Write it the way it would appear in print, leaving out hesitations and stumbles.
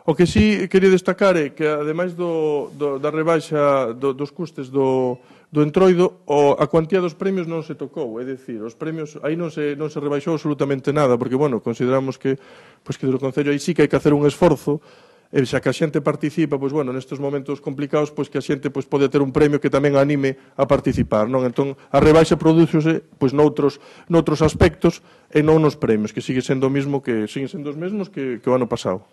O que sí quería destacar é que, ademais da rebaixa dos custes do entroido, a cuantía dos premios non se tocou, é dicir, os premios, aí non se rebaixou absolutamente nada, porque, bueno, consideramos que do Concello aí sí que hai que hacer un esforzo, e xa que a xente participa, pois, bueno, nestes momentos complicados, pois que a xente pode ter un premio que tamén anime a participar, non? Entón, a rebaixa prodúcese, pois, noutros aspectos e non nos premios, que siguen sendo os mesmos que o ano pasado.